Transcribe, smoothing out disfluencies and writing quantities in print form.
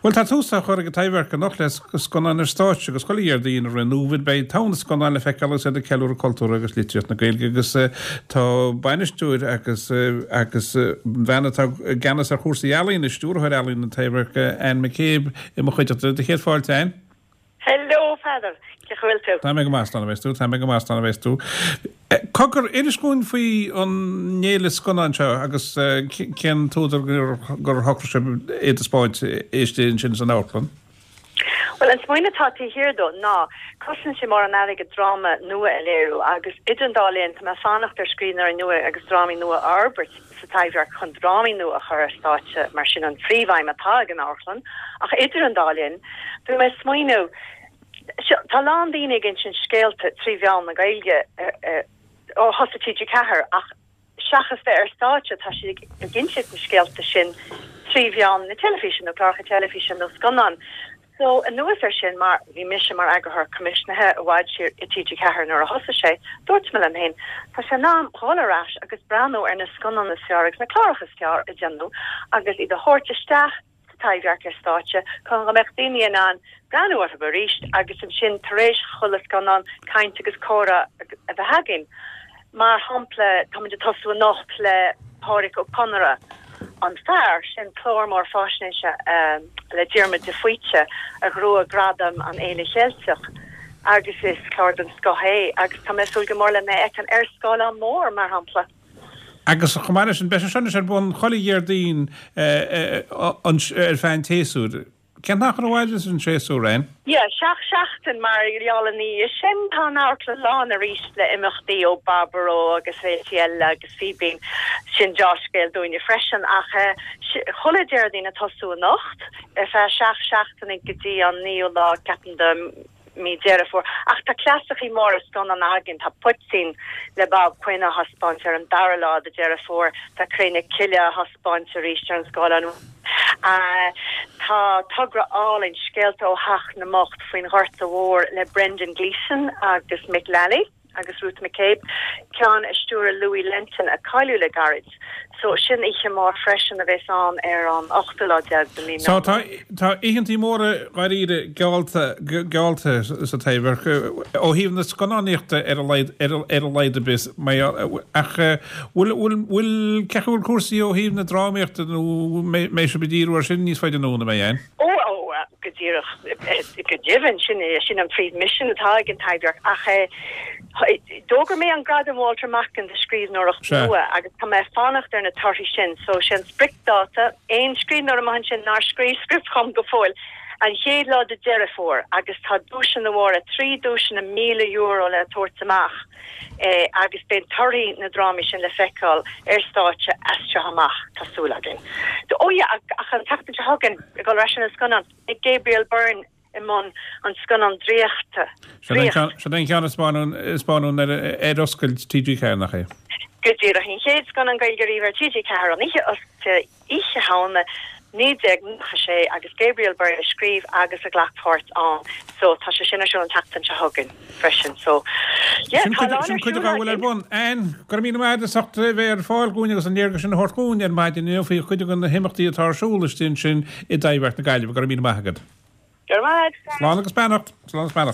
Bhuel, tá tús á chur ag an Taibhdhearc anocht le scannáin ar stáitse agus chuile Dhéardaoin i rith an fhómhair beidh togha na scannán le feiceáil agus iad ag ceiliúradh cultúr agus litríocht na Gaeilge agus tá bainisteoir agus agus an bhean atá i gceannas ar chúrsaí ealaíne, stiúrthóir ealaíon an Taibhdhearc, Anne McCabe i mo chuideachta. Do chéad fáilte, Anne. Hello, Peadar. Cén chaoi a bhfuil tú? Tá mé go maith, slán a bheas tú. Tá mé go maith, slán a bheas tú. Cogar, inis dhúinn faoi an fhéile scannán seo agus cén t-údar gur shocraigh sibh é a thaispeáint istigh ansin san amharclann? Bhuel, an smaoineamh atá taobh thiar dó ná, cosnaíonn sé mórán airgid dráma nua a léiriú agus idir an dá linn tá mé ag fanacht ar scríbhneoirí nua agus drámaí nua a fhorbairt. sa Taibhdhearc chun drámaí nua a chur ar stáitse mar sin an phríomhaidhm atá ag an amharclann ach idir an dá linn bhí mé ag smaoineamh seo tá a lán daoine ag insint scéalta trí mheán na Gaeilge ó thosaigh TG4 ach seachas bheith ar stáitse tá siad ag insint na scéalta sin trí mheán na teilifíse nó cláracha teilifíse nó scannán. So, anuas air sin, mar bhí mise mar eagarthóir coimisnithe i bhfad siar i TG4 nuair a thosaigh sé, dúirt mé liom féin, tá sé in am dhul ar ais agus breathnú ar na scannáin is fearr agus na cláracha is fearr a déanadh agus iad a thabhairt isteach sa Taibhdhearc ar stáitse chun go mbeadh daoine in ann breathnú orthu arís agus ansin tar éis chuile scannán caint agus comhrá a bheith againn. Mar shampla, táimid ag tosú anocht le Pádraic Ó Conaire, An Fear, sin clár mór fáisnéise le Diarmuid de Faoite a ghnóthaigh gradam an Fhéile Cheilteach agus is clár den scoth é agus tá mé ag súil go mór lena fheiceáil ar scáileán mór, mar shampla. Agus chomh maith leis sin, beidh sé seo anois ar bun chuile Dhéardaoin ar feadh an tséasúir. Cén t-achar a mhaireas an séasúr, Anne? Yeah, 7 seachtain mar gheall ina dhiaidh sin tá an amharclann lán arís le imeachtaí ó Baboró agus féilte eile agus Fíbín. Sin deá-scéal dúinne freisin ach chuile Déardaoin ag tosú anocht ar feadh 7 seachtaine go dtí an naoú lá ceapaim de mí Deireadh Fómhair. Ach tá clasaicí móra scannán againn, tá Poitín le Bob Quinn á thaispeáint ar an dara lá de Deireadh Fómhair, tá Cré na Cille á thaispeáint arís ar an scáileán. Tá togra álainn, Scéalta ó Theach na mBocht faoin Ghorta Mhór le Brendan Gleeson agus Mick Lally. agus Ruth McCabe, ceann a stiúraigh Louis Lentin, a cailleadh le gairid. So, sin oíche mhór freisin a bheas ann ar an ochtú lá déag de mí So, tá, tá oícheantaí móra dháiríre geallta, geallta sa Taibhdhearc, ó thaobh na scannánaíochta ar a laghad, ar a, ar a laghad ar bith, ach bhfuil, bhfuil, bhfuil, cén chaoi a bhfuil cúrsaí ó thaobh na drámaíochta nó mbeidh sibh ag díriú ar sin níos faide anonn, an mbeidh, Anne? Ó, ó, go díreach, go deimhin, sin é, sin an príomh-mhisean atá ag an Taibhdhearc. Ach d'fhógair mé an Gradam Walter Macken do scríbhneoireacht nua agus tá mé ag fanacht ar na torthaí sin. So, sé an spriocdháta, aon scríbhneoir amuigh ansin nár scríobh script dhom go fóill, an chéad lá de Deireadh Fómhair agus tá duaiseanna mhóra, 3 duaiseanna €1,000 le tabhairt amach. agus beidh torthaí na drámaí sin le feiceáil ar stáitse as seo amach, tá súil againn. Ó yeah, ach an tseachtain seo chugainn, ag dul ar ais ar na scannáin, beidh Gabriel Byrne i mbun an scannán draíochta, Draíocht. Sin é an ceann a spáineadh ar oscailt TG4, nach é? Go díreach, an chéad scannán Gaeilge riamh ar TG4, an oíche oscailte. Oíche Shamhna 1996 agus Gabriel Byrne a scríobh agus a ghlac páirt ann so tá sé sin ar siúl an tseachtain seo chugainn freisin so yeah Sin tá a lán ar cuid siúl a bhfuil ar bun. Anne, go raibh míle maith agat as ucht a bheith ar fáil dhúinn agus an léargas sin a thabhairt dhúinn ar maidin inniu faoi chuid de na himeachtaí atá ar siúl istigh ansin i dTaibhdhearc na Gaillimhe. Go raibh míle maith agat. Go raibh maith agat. Slán agus beannacht. Slán agus beannacht.